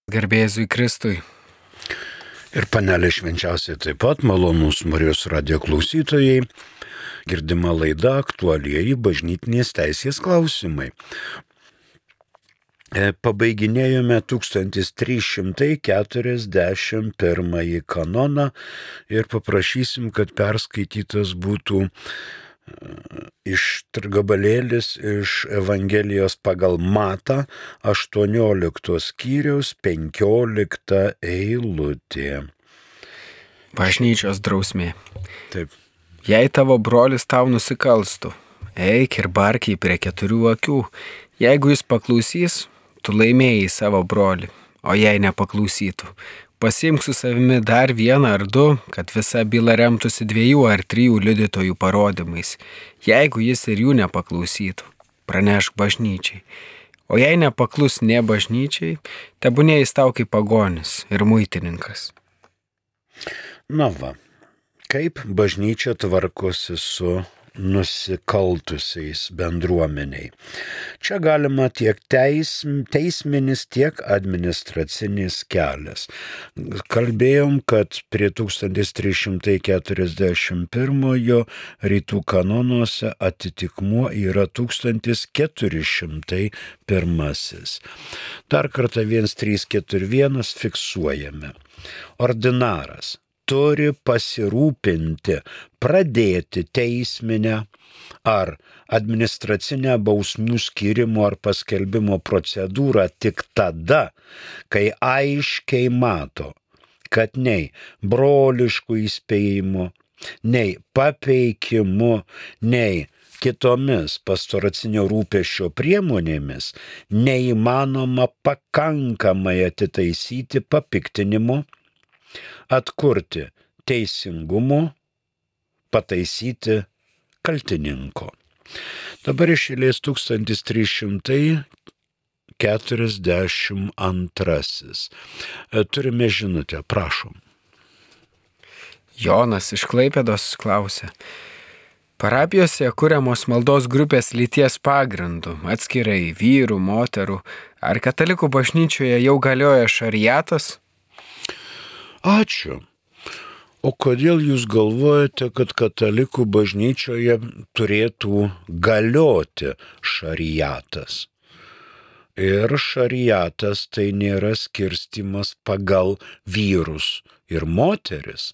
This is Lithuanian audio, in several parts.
Garbėzui Kristui. Ir panelė švenčiausiai taip pat, malonūs Marijos radijo klausytojai, girdima laida aktualieji bažnytinės teisės klausimai. Pabaiginėjome 1341 kanoną ir paprašysim, kad perskaitytas būtų gabalėlis iš Evangelijos pagal Matą 18 skyriaus 15 eilutė. Bažnyčios drausmė. Taip. Jei tavo brolis tau nusikalstų, eik ir bark jį prie 4 akių. Jeigu jis paklausys, tu laimėjai savo brolį, o jei nepaklausytų, pasiimk su savimi dar 1 ar 2, kad visa byla remtųsi 2 ar 3 liudytojų parodymais. Jeigu jis ir jų nepaklausytų, pranešk bažnyčiai. O jei nepaklus nė bažnyčiai, tebūnie jis tau kaip pagonis ir muitininkas. Na va, kaip bažnyčia tvarkosi su nusikaltusiais bendruomeniai. Čia galima tiek teisminis, tiek administracinis kelias. Kalbėjom, kad prie 1341 rytų kanonuose atitikmuo yra 1401. Dar kartą 1341 fiksuojame. Ordinaras turi pasirūpinti, pradėti teisminę ar administracinę bausmių skyrimo ar paskelbimo procedūrą tik tada, kai aiškiai mato, kad nei broliškų įspėjimų, nei papeikimu, nei kitomis pastoracinio rūpesčio priemonėmis neįmanoma pakankamai atitaisyti papiktinimo, atkurti teisingumo, pataisyti kaltininko. Dabar iš eilės 1342. Turime žinutę, prašom. Jonas iš Klaipėdos klausia. Parapijose kuriamos maldos grupės lyties pagrindu, atskirai vyrų, moterų, ar katalikų bažnyčioje jau galioja šariatas? Ačiū. O kodėl jūs galvojate, kad katalikų bažnyčioje turėtų galioti šariatas? Ir šariatas tai nėra skirstimas pagal vyrus ir moteris.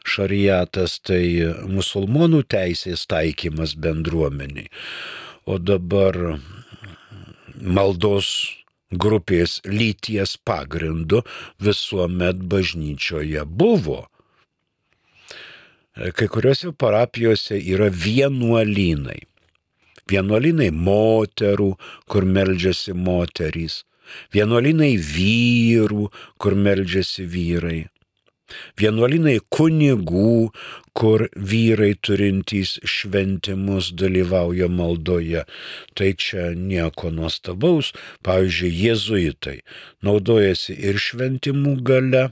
Šariatas tai musulmonų teisės taikymas bendruomeniai. O dabar maldos grupės lyties pagrindu visuomet bažnyčioje buvo. Kai kuriuose parapijose yra vienuolynai. Vienuolynai moterų, kur meldžiasi moterys. Vienuolynai vyrų, kur meldžiasi vyrai. Vienuolynai kunigų, kur vyrai turintys šventimus dalyvauja maldoje. Tai čia nieko nuostabaus. Pavyzdžiui, jėzuitai naudojasi ir šventimų gale,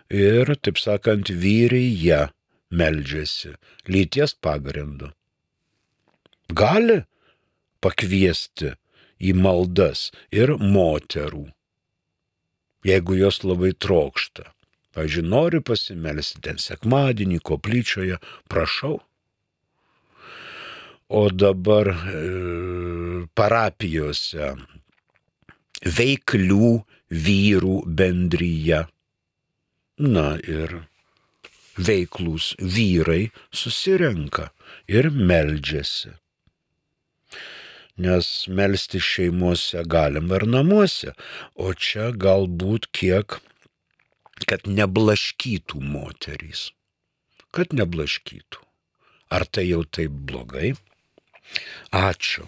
ir, taip sakant, vyrija meldžiasi lyties pagrindu. Gali pakviesti į maldas ir moterų, jeigu jos labai trokšta. Pavyzdžiui, nori pasimelsti ten sekmadienį koplyčioje, prašau. O dabar parapijose veiklių vyrų bendryje. Na ir veiklūs vyrai susirenka ir meldžiasi. Nes melsti šeimose galim ir namuose, o čia galbūt kiek kad neblaškytų moterys. Kad neblaškytų. Ar tai jau taip blogai? Ačiū.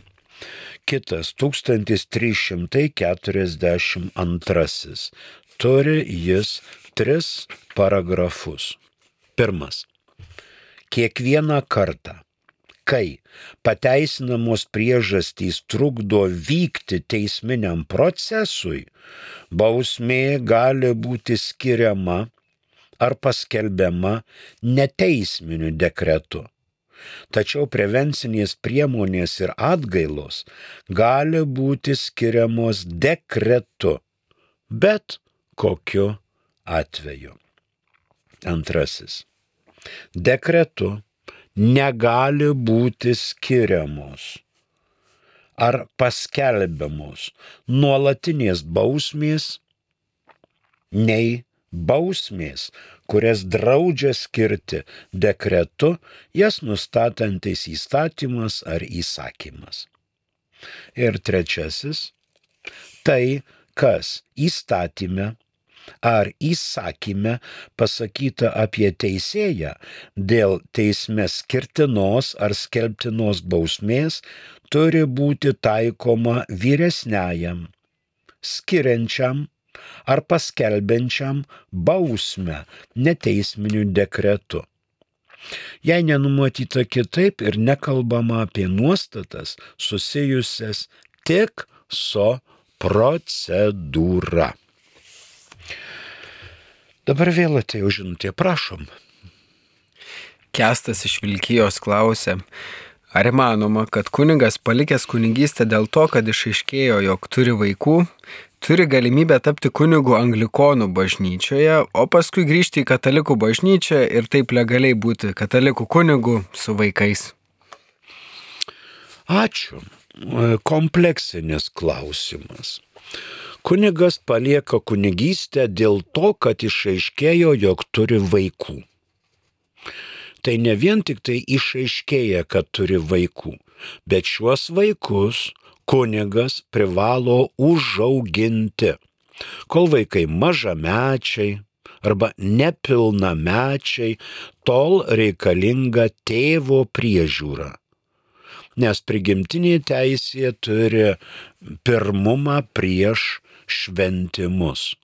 Kitas 1342. Turi jis 3 paragrafus. 1. Kiekvieną kartą, kai pateisinamos priežastys trukdo vykti teisminiam procesui, bausmė gali būti skiriama ar paskelbiama neteisminiu dekretu. Tačiau prevencinės priemonės ir atgailos gali būti skiriamos dekretu, bet kokiu atveju. Antrasis. Dekretu negali būti skiriamos ar paskelbiamos nuolatinės bausmės, nei bausmės, kurias draudžia skirti dekretu, jas nustatantis įstatymas ar įsakymas. Ir trečiasis, tai, kas įstatyme ar įsakyme pasakyta apie teisėją dėl teisme skirtinos ar skelbtinos bausmės, turi būti taikoma vyresniajam, skiriančiam ar paskelbiančiam bausmę neteisminiu dekretu. Jei nenumatyta kitaip ir nekalbama apie nuostatas susijusias tik su procedūra. Dabar vėl atėjo žinutė, prašom. Kęstas iš Vilkijos klausė, ar įmanoma, kad kunigas palikęs kunigystę dėl to, kad išaiškėjo, jog turi vaikų, turi galimybę tapti kunigu anglikonų bažnyčioje, o paskui grįžti į katalikų bažnyčią ir taip legaliai būti katalikų kunigu su vaikais? Ačiū. Kompleksinis klausimas. Kunigas palieka kunigystę dėl to, kad išaiškėjo, jog turi vaikų. Tai ne vien tik tai išaiškėja, kad turi vaikų, bet šiuos vaikus kunigas privalo užauginti, kol vaikai mažamečiai arba nepilnamečiai, tol reikalinga tėvo priežiūra. Nes prigimtinė teisė turi pirmumą prieš šventimus.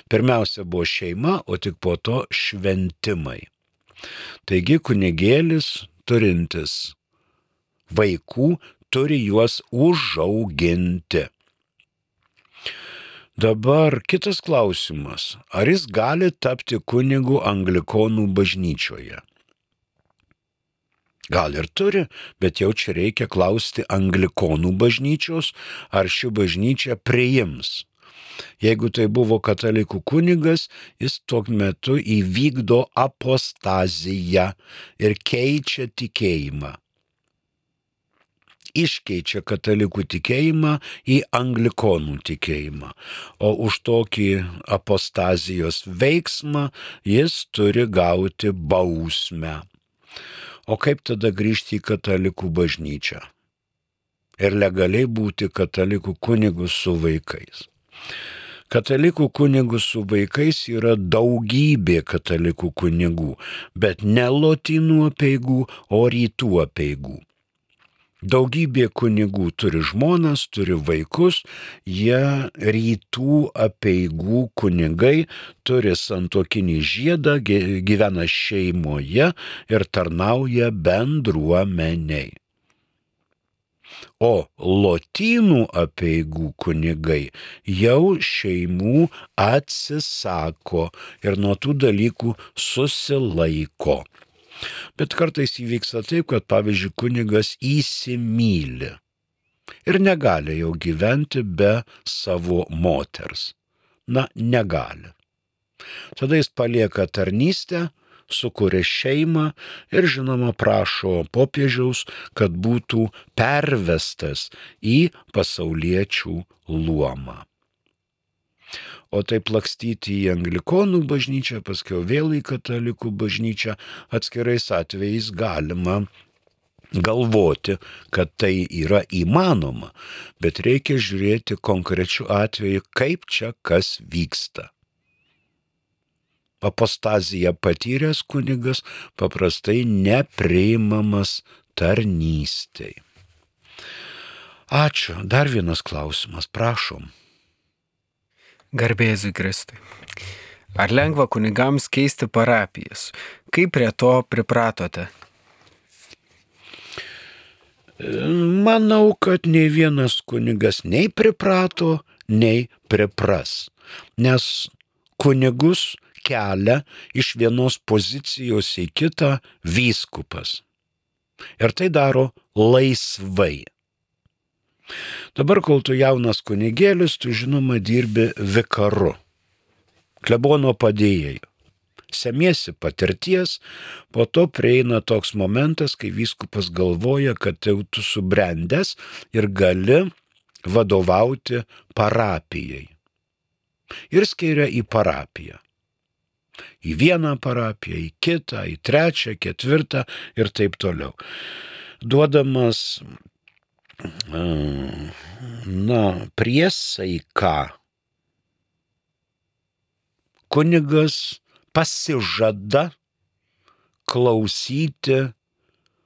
Pirmiausia buvo šeima, o tik po to šventimai. Taigi kunigėlis turintis vaikų turi juos užauginti. Dabar kitas klausimas. Ar jis gali tapti kunigu anglikonų bažnyčioje? Gal ir turi, bet jau čia reikia klausti anglikonų bažnyčios, ar ši bažnyčia priims. Jeigu tai buvo katalikų kunigas, jis tuo metu įvykdo apostaziją ir keičia tikėjimą. Iškeičia katalikų tikėjimą į anglikonų tikėjimą, o už tokį apostazijos veiksmą jis turi gauti bausmę. O kaip tada grįžti į katalikų bažnyčią ir legaliai būti katalikų kunigu su vaikais? Katalikų kunigų su vaikais yra daugybė katalikų kunigų, bet ne lotynų apeigų, o rytų apeigų. Daugybė kunigų turi žmonas, turi vaikus, jie rytų apeigų kunigai turi santuokinį žiedą, gyvena šeimoje ir tarnauja bendruomeniai. O lotynų apeigų kunigai jau šeimų atsisako ir nuo tų dalykų susilaiko. Bet kartais įvyksta taip, kad pavyzdžiui kunigas įsimyli ir negali jau gyventi be savo moters. Negali. Tada jis palieka tarnystę, sukuria šeimą ir žinoma prašo popiežiaus, kad būtų pervestas į pasauliečių luomą. O taip lakstyti į anglikonų bažnyčią, paskui vėl į katalikų bažnyčią, atskirais atvejais galima galvoti, kad tai yra įmanoma, bet reikia žiūrėti konkrečiu atveju, kaip čia kas vyksta. Apostaziją patyręs kunigas paprastai nepriimamas tarnystei. Ačiū. Dar vienas klausimas, prašom. Garbė Jėzui Kristui. Ar lengva kunigams keisti parapijas? Kaip prie to pripratote? Manau, kad nei vienas kunigas nei priprato, nei pripras. Nes kunigus kelia iš vienos pozicijos į kitą vyskupas. Ir tai daro laisvai. Dabar, kol tu jaunas kunigėlis, tu žinoma dirbi vikaru, klebono padėjėju. Semiesi patirties, po to prieina toks momentas, kai vyskupas galvoja, kad jau tu subrendęs ir gali vadovauti parapijai. Ir skiria į parapiją. Į vieną parapiją, į kitą, į trečią, ketvirtą ir taip toliau. Duodamas priesaiką, kunigas pasižada klausyti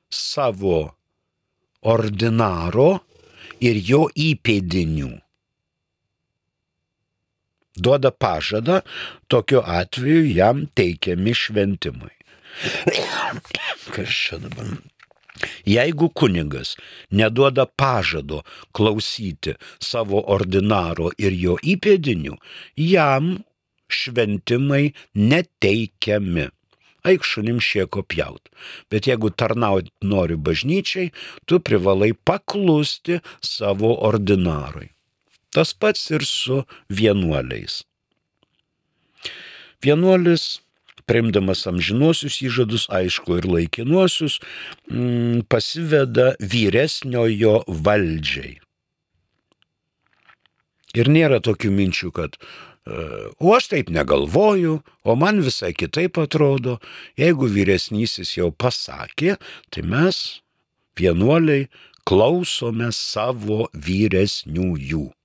savo ordinaro ir jo įpėdinių. Duoda pažadą, tokiu atveju jam teikiami šventimai. Kas čia dabar? Jeigu kunigas neduoda pažado klausyti savo ordinaro ir jo įpėdinių, jam šventimai neteikiami. Eik šunim šieko pjaut. Bet jeigu tarnauti nori bažnyčiai, tu privalai paklusti savo ordinarui. Tas pats ir su vienuoliais. Vienuolis, priimdamas amžinuosius įžadus, aišku ir laikinuosius, pasiveda vyresniojo valdžiai. Ir nėra tokių minčių, kad o aš taip negalvoju, o man visai kitaip atrodo. Jeigu vyresnysis jau pasakė, tai mes, vienuoliai, klausome savo vyresniųjų.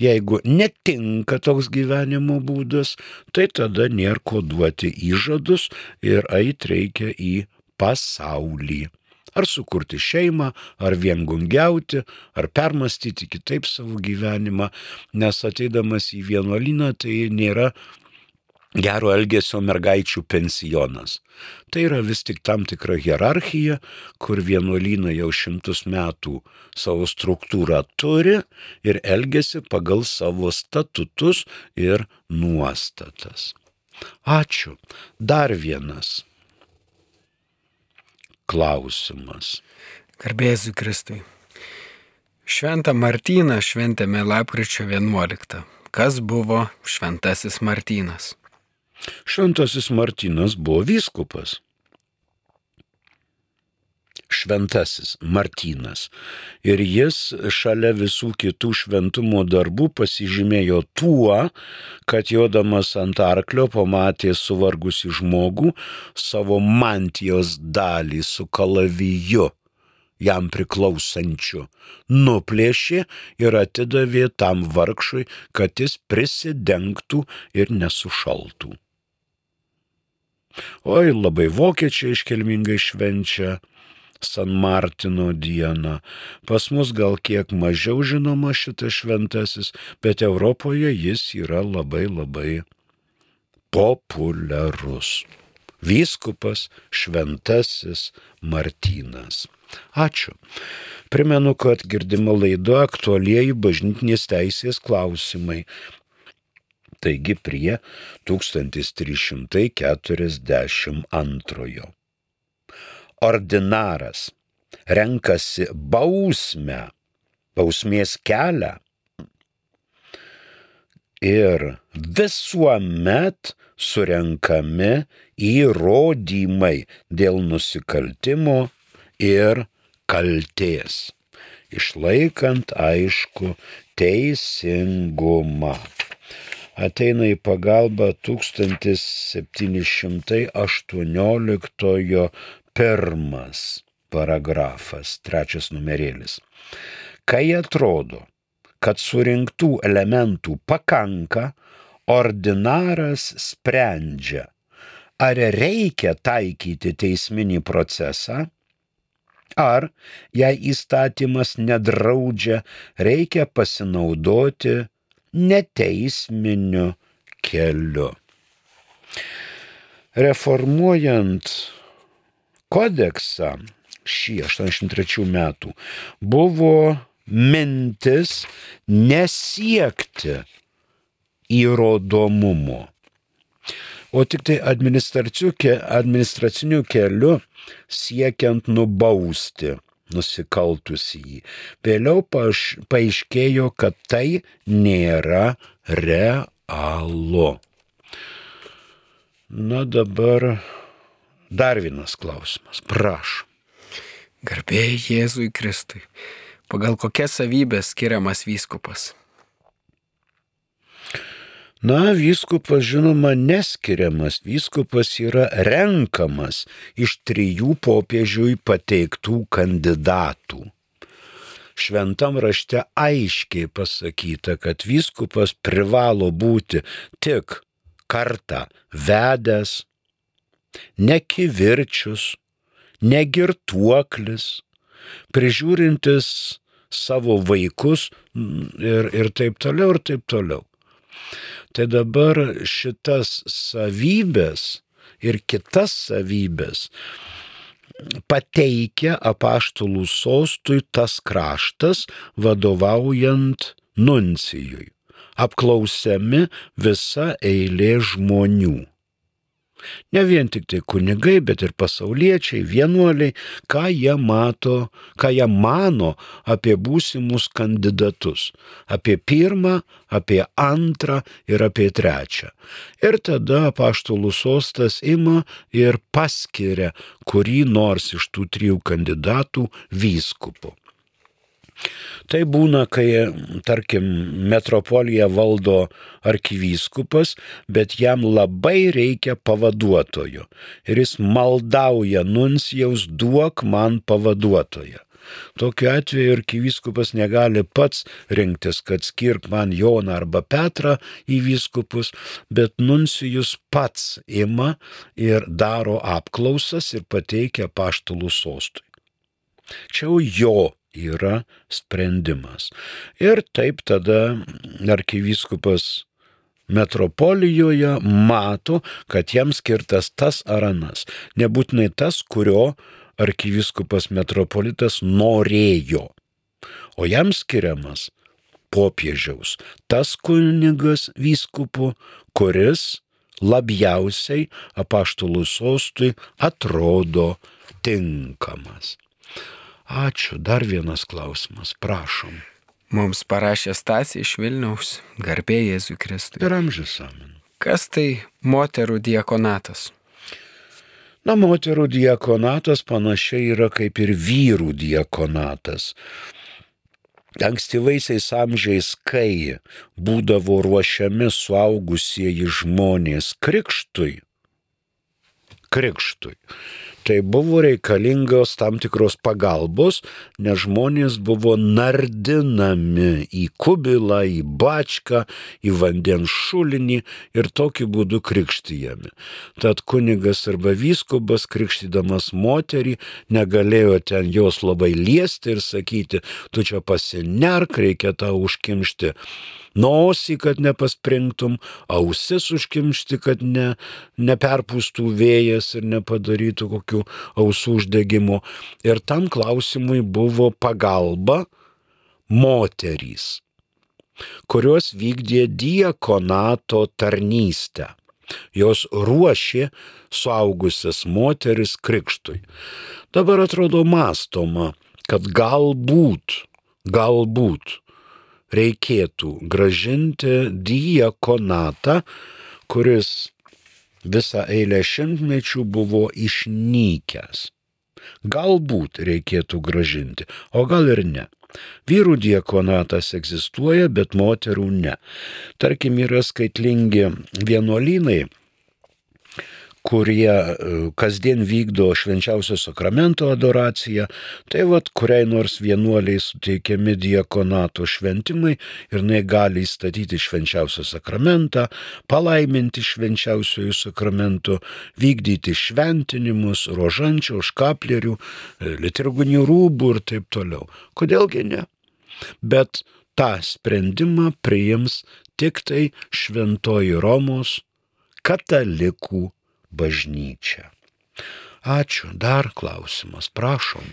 Jeigu netinka toks gyvenimo būdas, tai tada nėra ko duoti įžadus ir eit reikia į pasaulį. Ar sukurti šeimą, ar viengungiauti, ar permastyti kitaip savo gyvenimą, nes ateidamas į vienuolyną tai nėra gero elgesio mergaičių pensionas. Tai yra vis tik tam tikra hierarchija, kur vienuolynai jau 100 metų savo struktūrą turi ir elgesi pagal savo statutus ir nuostatas. Ačiū. Dar vienas klausimas. Garbėsiu Kristui. Šventą Martyną šventėme lapkričio 11. Kas buvo šventasis Martynas? Šventasis Martynas buvo vyskupas. Šventasis Martynas. Ir jis šalia visų kitų šventumo darbų pasižymėjo tuo, kad jodamas ant arklio pamatė suvargusį žmogų, savo mantijos dalį su kalaviju jam priklausančiu nuplėšė ir atidavė tam vargšui, kad jis prisidengtų ir nesušaltų. Oi, labai vokiečiai iškilmingai švenčia San Martino dieną. Pas mus gal kiek mažiau žinoma šitas šventasis, bet Europoje jis yra labai populiarus. Vyskupas šventasis Martynas. Ačiū. Primenu, kad girdima laida aktualieji bažnytinės teisės klausimai. Taigi prie 1342. Ordinaras renkasi bausmės kelią ir visuomet surenkami įrodymai dėl nusikaltimo ir kaltės, išlaikant aišku teisingumą. Ateina į pagalbą 1718 pirmas paragrafas, 3 numerėlis. Kai atrodo, kad surinktų elementų pakanka, ordinaras sprendžia, ar reikia taikyti teisminį procesą, ar, jei įstatymas nedraudžia, reikia pasinaudoti neteisminiu keliu. Reformuojant kodeksą šį 83 metų buvo mintis nesiekti įrodomumo, o tik tai administraciniu keliu siekiant nubausti nusikaltusįjį. Vėliau paaiškėjo, kad tai nėra realu. Na dabar dar vienas klausimas. Prašom. Garbė Jėzui Kristui. Pagal kokias savybės skiriamas vyskupas? Na, vyskupas, žinoma, neskiriamas. Vyskupas yra renkamas iš 3 popiežiui pateiktų kandidatų. Šventam rašte aiškiai pasakyta, kad vyskupas privalo būti tik kartą vedęs, nekivirčius, negirtuoklis, prižiūrintis savo vaikus ir taip toliau, ir taip toliau. Tai dabar šitas savybės ir kitas savybės pateikia apaštalų sostui tas kraštas, vadovaujant nuncijui. Apklausiami visa eilė žmonių. Ne vien tik tai kunigai, bet ir pasauliečiai, vienuoliai, ką jie mano apie būsimus kandidatus. Apie pirmą, apie antrą ir apie trečią. Ir tada apaštalų sostas ima ir paskiria kurį nors iš tų 3 kandidatų vyskupu. Tai būna, kai, tarkim, metropoliją valdo arkivyskupas, bet jam labai reikia pavaduotojo. Ir jis maldauja nuncijaus, duok man pavaduotoją. Tokiu atveju arkivyskupas negali pats rinktis, kad skirk man Joną arba Petrą į vyskupus, bet nuncijus pats ima ir daro apklausas ir pateikia apaštalų sostui. Čia jo yra sprendimas. Ir taip tada arkivyskupas metropolijoje mato, kad jam skirtas tas ar anas. Nebūtinai tas, kurio arkivyskupas metropolitas norėjo. O jam skiriamas popiežiaus tas kunigas vyskupu, kuris labiausiai apaštalų sostui atrodo tinkamas. Ačiū. Dar vienas klausimas. Prašom. Mums parašė Stasė iš Vilniaus. Garbė Jėzui Kristui. Ir amžius amen. Kas tai moterų diakonatas? Na, moterų diakonatas panašiai yra kaip ir vyrų diakonatas. Ankstyvaisiais amžiais, kai būdavo ruošiami suaugusieji žmonės krikštui, tai buvo reikalingos tam tikros pagalbos, nes žmonės buvo nardinami į kubilą, į bačką, į vandens šulinį ir tokiu būdu krikštijami. Tad kunigas arba vyskupas, krikštydamas moterį, negalėjo ten jos labai liesti ir sakyti, tu čia pasinerk, reikia tau užkimšti nosį, kad nepaspringtum, ausis užkimšti, kad neperpūstų vėjas ir nepadarytų kokių ausų uždegimų. Ir tam klausimui buvo pagalba moterys, kurios vykdė diakonato tarnystę. Jos ruošė suaugusias moteris krikštui. Dabar atrodo mąstoma, kad galbūt reikėtų gražinti diakonatą, kuris visą eilę šimtmečių buvo išnykęs. Galbūt reikėtų gražinti, o gal ir ne. Vyrų diakonatas egzistuoja, bet moterų ne. Tarkim, yra skaitlingi vienuolynai, kurie kasdien vykdo švenčiausio sakramento adoraciją, tai kuriai nors vienuoliai suteikiami diakonato šventimai ir jinai gali įstatyti švenčiausią sakramentą, palaiminti švenčiausiojų sakramentų, vykdyti šventinimus, rožančių, škaplerių, liturginių rūbų ir taip toliau. Kodėlgi ne? Bet tą sprendimą priims tik tai Šventoji Romos katalikų bažnyčia. Ačiū. Dar klausimas. Prašom.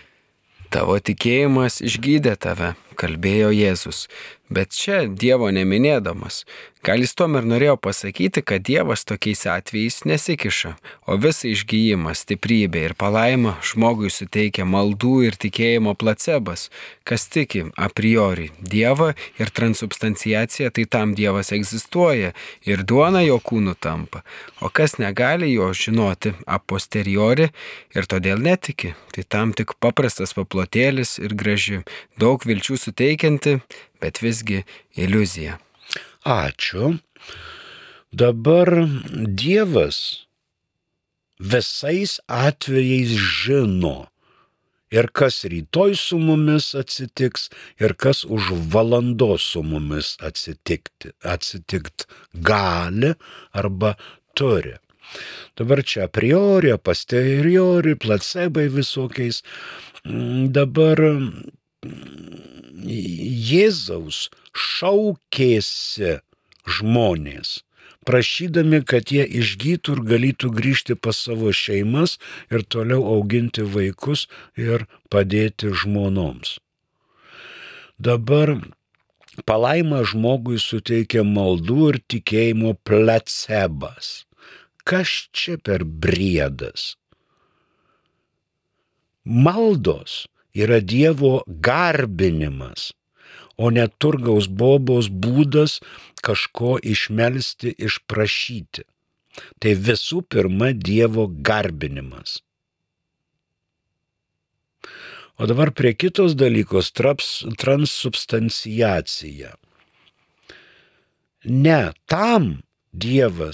Tavo tikėjimas išgydė tave. kalbėjo Jėzus, bet čia Dievo neminėdamas. Gal jis tuom ir norėjo pasakyti, kad Dievas tokiais atvejais nesikiša, o visą išgijimą, stiprybę ir palaimą žmogui suteikia maldų ir tikėjimo placebas. Kas tiki a priori Dievą ir transubstanciacija, tai tam Dievas egzistuoja ir duona jo kūnu tampa, o kas negali jo žinoti a posteriori ir todėl netiki, tai tam tik paprastas paplotėlis ir graži, daug vilčių suteikianti, bet visgi iliuzija. Ačiū. Dabar Dievas visais atvejais žino ir kas rytoj su mumis atsitiks, ir kas už valandos su mumis atsitikt gali arba turi. Dabar čia a priori, a posteriori, placebai visokiais. Dabar Jėzaus šaukėsi žmonės, prašydami, kad jie išgytų ir galėtų grįžti pas savo šeimas ir toliau auginti vaikus ir padėti žmonoms. Dabar palaimą žmogui suteikia maldų ir tikėjimo placebas. Kas čia per briedas? Maldos yra Dievo garbinimas, o ne turgaus bobos būdas kažko išmelsti, išprašyti. Tai visų pirma Dievo garbinimas. O dabar prie kitos dalykos transubstanciacija. Ne tam Dievo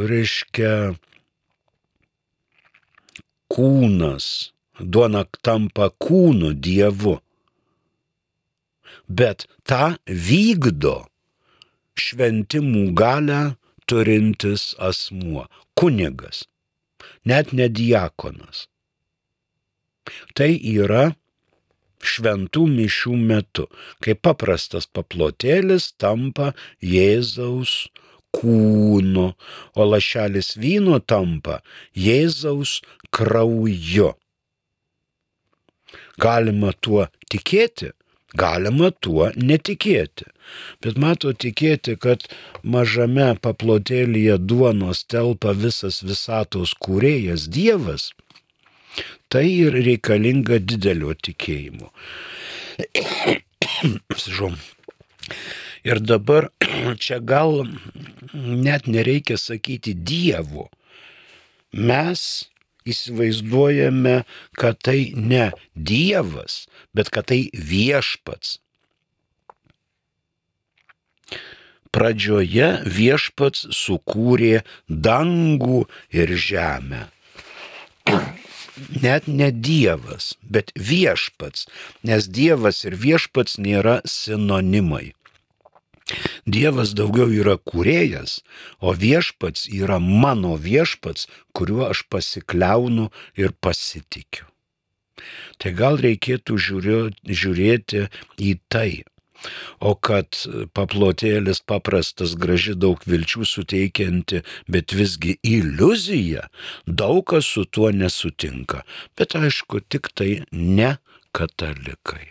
reiškia kūnas, duona tampa kūnu Dievu, bet tą vykdo šventimų galią turintis asmuo, kunigas, net ne diakonas. Tai yra šventų mišių metu, kai paprastas paplotėlis tampa Jėzaus kūnu, o lašelis vyno tampa Jėzaus krauju. Galima tuo tikėti, galima tuo netikėti. Bet mato tikėti, kad mažame paplotėlyje duonos telpa visas visatos kūrėjas Dievas, tai ir reikalinga didelio tikėjimo. Ir dabar čia gal net nereikia sakyti Dievo. Mes įsivaizduojame, kad tai ne Dievas, bet kad tai viešpats. Pradžioje viešpats sukūrė dangų ir žemę. Net ne Dievas, bet viešpats, nes Dievas ir viešpats nėra sinonimai. Dievas daugiau yra kūrėjas, o viešpats yra mano viešpats, kuriuo aš pasikliaunu ir pasitikiu. Tai gal reikėtų žiūrėti į tai, o kad paplotėlis paprastas, graži, daug vilčių suteikianti, bet visgi iliuzija, daug kas su tuo nesutinka. Bet aišku, tik tai ne katalikai.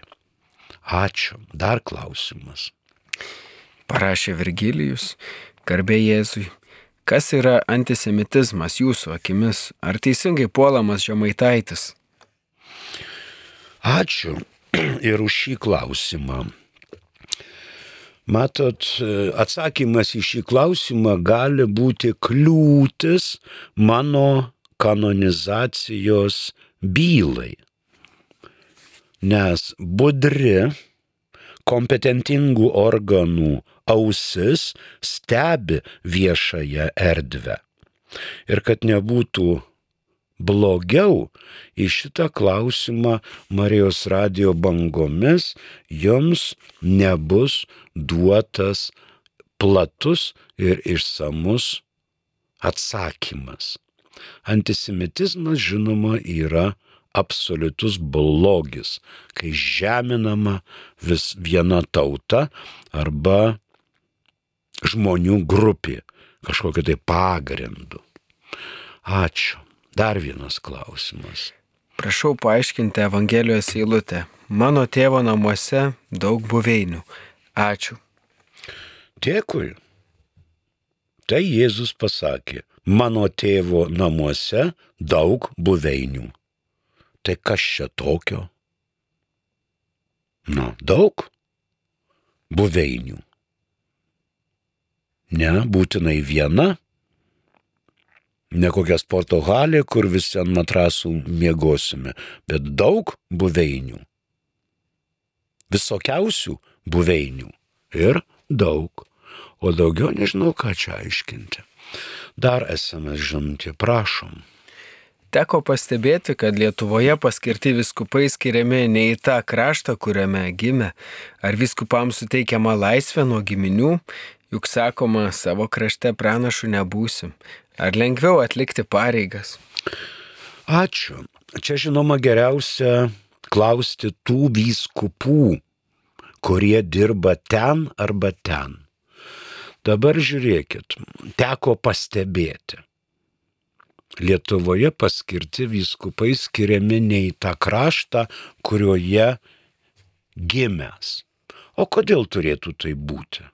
Ačiū. Dar klausimas. Parašė Virgilijus, garbė Jėzui. Kas yra antisemitizmas jūsų akimis? Ar teisingai puolamas Žemaitaitis? Ačiū ir už šį klausimą. Matot, atsakymas į šį klausimą gali būti kliūtis mano kanonizacijos bylai. Nes budri, kompetentingų organų ausis stebi viešąją erdvę. Ir kad nebūtų blogiau, į šitą klausimą Marijos radijo bangomis jums nebus duotas platus ir išsamus atsakymas. Antisemitizmas, žinoma, yra absoliutus blogis, kai žeminama vis viena tauta arba žmonių grupė kažkokiu tai pagrindu. Ačiū. Dar vienas klausimas. prašau paaiškinti Evangelijos eilutę. Mano tėvo namuose daug buveinių. Ačiū. Dėkui. Tai Jėzus pasakė, mano tėvo namuose daug buveinių. Tai kas čia tokio? Daug buveinių. Ne, būtinai viena. Ne kokia sporto halė, kur visi ant matrasų miegosime, bet daug buveinių. Visokiausių buveinių. Ir daug. O daugiau nežinau, ką čia aiškinti. Dar SMS žinutė, prašom. Teko pastebėti, kad Lietuvoje paskirti vyskupai skiriami ne į tą kraštą, kuriame gimė. Ar vyskupams suteikiama laisvė nuo giminių? Juk sakoma, savo krašte pranašu nebūsim. Ar lengviau atlikti pareigas? Ačiū. Čia žinoma geriausia klausti tų vyskupų, kurie dirba ten arba ten. Dabar žiūrėkit, teko pastebėti. Lietuvoje paskirti vyskupai skiriami ne į tą kraštą, kurioje gimęs. O kodėl turėtų tai būti?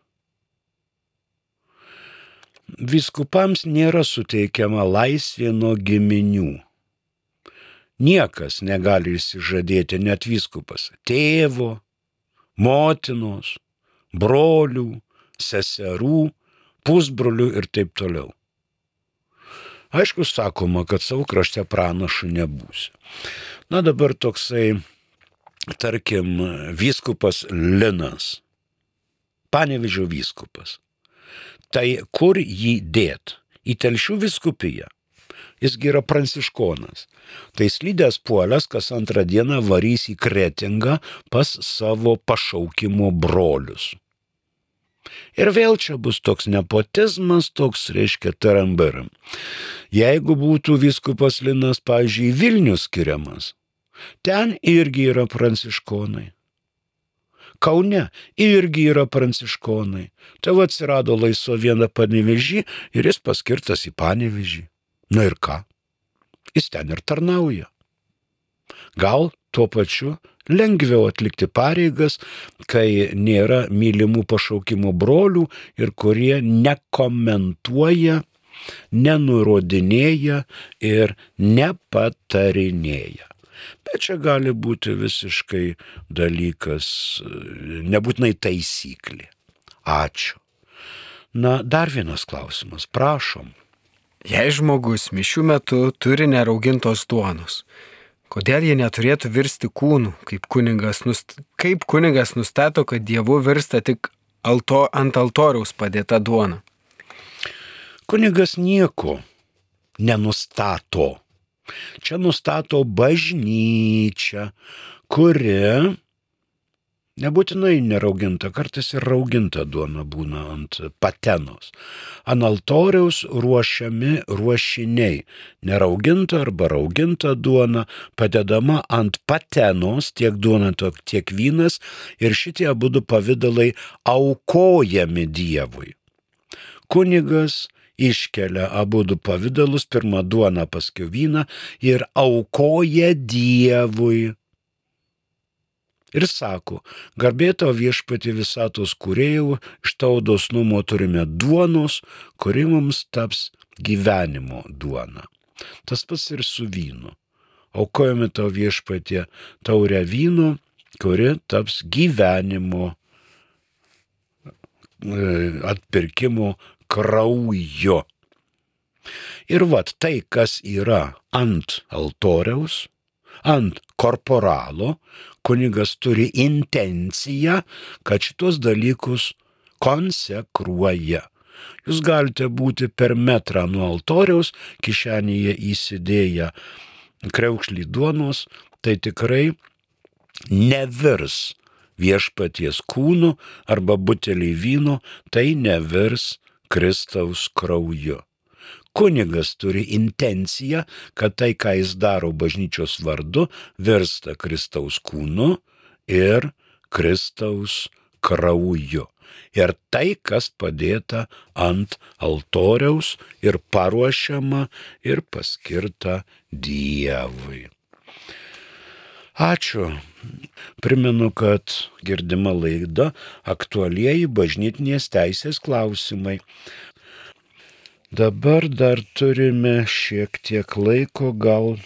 Vyskupams nėra suteikiama laisvė nuo giminių. Niekas negali išsižadėti, net vyskupas, tėvo, motinos, brolių, seserų, pusbrolių ir taip toliau. Aišku, sakoma, kad savo krašte pranašu nebūsi. Dabar toksai, tarkim, vyskupas Linas, Panevėžio vyskupas. Tai kur jį dėt? Į Telšių vyskupiją. Jisgi yra pranciškonas. Tai slydęs puolęs, kas antrą dieną varys į Kretingą pas savo pašaukimo brolius. Ir vėl čia bus toks nepotizmas, toks, reiškia, tarambaram. Jeigu būtų vyskupas Linas, pavyzdžiui, Vilnius skiriamas, ten irgi yra pranciškonai. Kaune irgi yra pranciškonai. Tai atsirado laisvo viena Panevėžį ir jis paskirtas į Panevėžį. Ir ką? Jis ten ir tarnauja. Gal tuo pačiu lengviau atlikti pareigas, kai nėra mylimų pašaukimo brolių ir kurie nekomentuoja, nenurodinėja ir nepatarinėja. Bet čia gali būti visiškai dalykas, nebūtinai taisyklė. Ačiū. Dar vienas klausimas, prašom. Jei žmogus mišių metu turi neraugintos duonos, kodėl jie neturėtų virsti kūnu, kaip kunigas nustato, kad Dievu virsta tik ant altoriaus padėta duona? Kunigas nieko nenustato. Čia nustato bažnyčia, kuri nebūtinai nerauginta, kartais ir rauginta duona būna ant patenos. Ant altoriaus ruošiami ruošiniai. Nerauginta arba rauginta duona padedama ant patenos, tiek duona, tiek vynas, ir šitie abudu pavidalai aukojami Dievui. Kunigas iškelia abudu pavidalus, pirmą duoną, paskui vyną, ir aukoja Dievui. Ir sako, garbė tau viešpatie visatos kūrėjau, iš tavo dosnumo turime duonos, kuri mums taps gyvenimo duona. Tas pats ir su vynu. Aukojame tau viešpatie taurę vyno, kuri taps gyvenimo atpirkimo kraujo. Ir tai, kas yra ant altoriaus, ant korporalo, kunigas turi intenciją, kad šitos dalykus konsekruoja. Jūs galite būti per metrą nuo altoriaus, kišenėje įsidėję kriaukšlį duonos, tai tikrai nevirs viešpaties kūnu arba butelį vyno, tai nevirs Kristaus krauju. Kunigas turi intenciją, kad tai, ką jis daro bažnyčios vardu, virsta Kristaus kūnu ir Kristaus krauju. Ir tai, kas padėta ant altoriaus ir paruošiama ir paskirta Dievui. Ačiū. Primenu, kad girdima laida aktualieji bažnytinės teisės klausimai. Dabar dar turime šiek tiek laiko, gal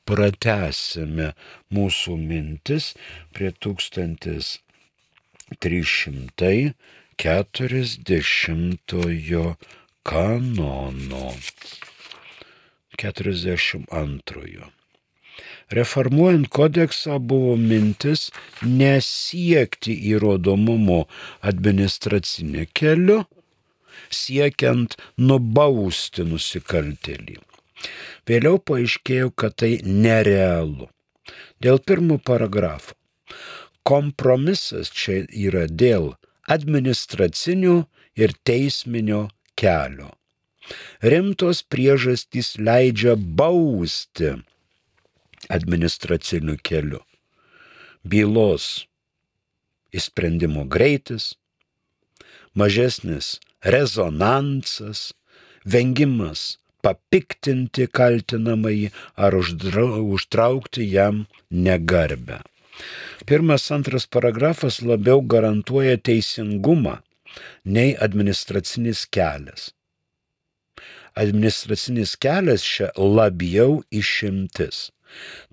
pratęsime mūsų mintis prie 1340 kanono. 42. Reformuojant kodeksą buvo mintis nesiekti įrodomumo administracinį keliu, siekiant nubausti nusikaltėlį. Vėliau paaiškėjo, kad tai nerealu. Dėl pirmo paragrafo. Kompromisas čia yra dėl administracinio ir teisminio kelio. Rimtos priežastys leidžia bausti administraciniu keliu. Bylos įsprendimo greitis, mažesnis rezonansas, vengimas papiktinti kaltinamąjį ar užtraukti jam negarbę. 1-2 paragrafas labiau garantuoja teisingumą nei administracinis kelias. Administracinis kelias čia labiau išimtis.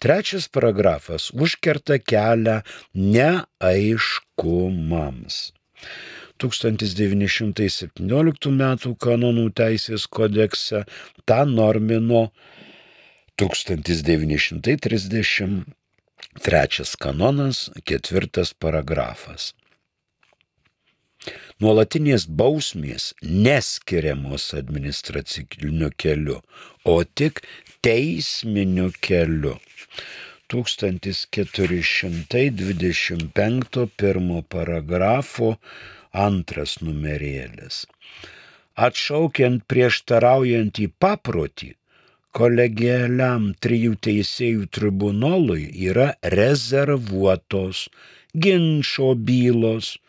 3 paragrafas užkerta kelią neaiškumams. 1917 m. kanonų teisės kodekse tą normino 1933 kanonas 4 paragrafas. Nuolatinės bausmės neskiriamos administraciniu keliu, o tik teisminiu keliu. 1425 1 paragrafo 2 numerėlis. Atšaukiant prieštaraujantį paprotį, kolegialiam 3 teisėjų tribunolui yra rezervuotos ginčo bylos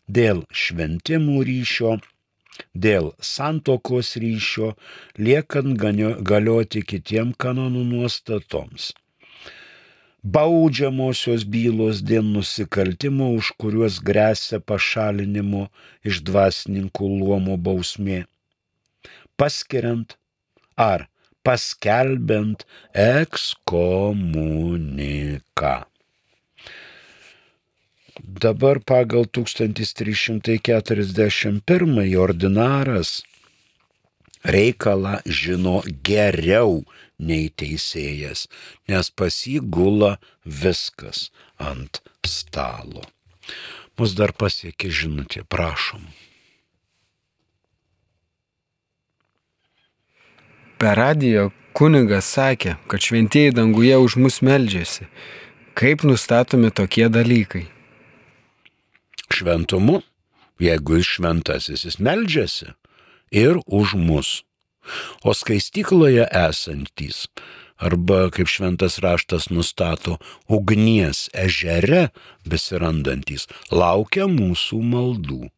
dėl šventimų ryšio, dėl santuokos ryšio, liekant galioti kitiem kanonų nuostatoms. Baudžiamosios bylos dėl nusikaltimo, už kuriuos gresia pašalinimo iš dvasininkų luomo bausmė, paskiriant ar paskelbiant ekskomuniką. Dabar pagal 1341 ordinaras reikalą žino geriau nei teisėjas, nes pas jį gula viskas ant stalo. Mus dar pasiekė žinutė, prašom. Per radiją kunigas sakė, kad šventieji danguje už mus meldžiasi. Kaip nustatomi tokie dalykai? Šventumu, jeigu jis šventasis, jis meldžiasi ir už mus. O skaistykloje esantys, arba kaip šventas raštas nustato, ugnies ežere besirandantys, laukia mūsų maldų.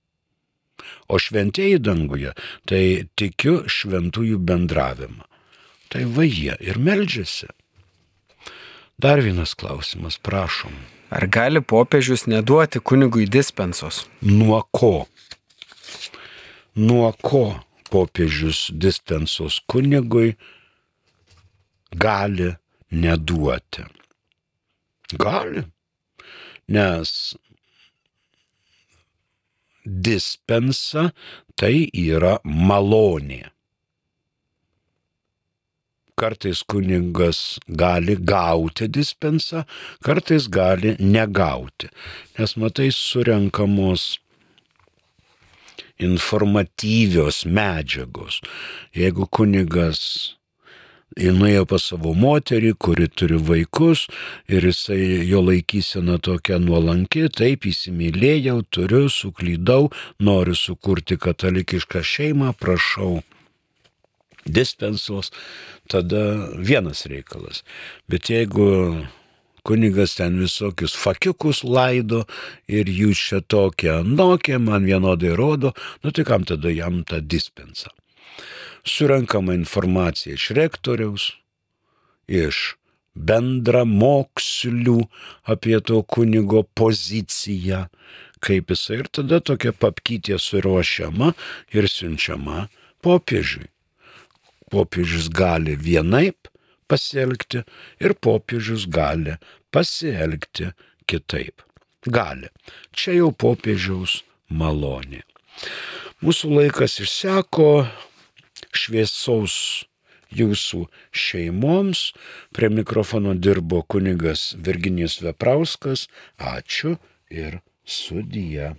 O šventieji danguje, tai tikiu šventųjų bendravimą. Tai va jie ir meldžiasi. Dar vienas klausimas, prašom. Ar gali popiežius neduoti kunigui dispensos? Nuo ko? Nuo ko popiežius dispensos kunigui gali neduoti? Gali, nes dispensa tai yra malonė. Kartais kunigas gali gauti dispensą, kartais gali negauti, nes matai surenkamos informatyvios medžiagos. Jeigu kunigas nuėjo pas savo moterį, kuri turi vaikus, ir jisai jo laikysena tokia nuolanki, taip įsimylėjau, turiu, suklydau, noriu sukurti katalikišką šeimą, prašau dispensos, tada vienas reikalas. Bet jeigu kunigas ten visokius fakiukus laido ir jūs čia tokie anokie, man vienodai rodo, tai kam tada jam tą dispensą? Surenkama informacija iš rektoriaus, iš bendramokslių apie to kunigo poziciją, kaip jisai, ir tada tokia papkytė suruošiama ir siunčiama popiežiui. Popiežius gali vienaip pasielgti ir popiežius gali pasielgti kitaip. Gali. Čia jau popiežiaus malonė. Mūsų laikas išseko, šviesaus jūsų šeimoms. Prie mikrofono dirbo kunigas Virginijus Veprauskas. Ačiū ir sudie.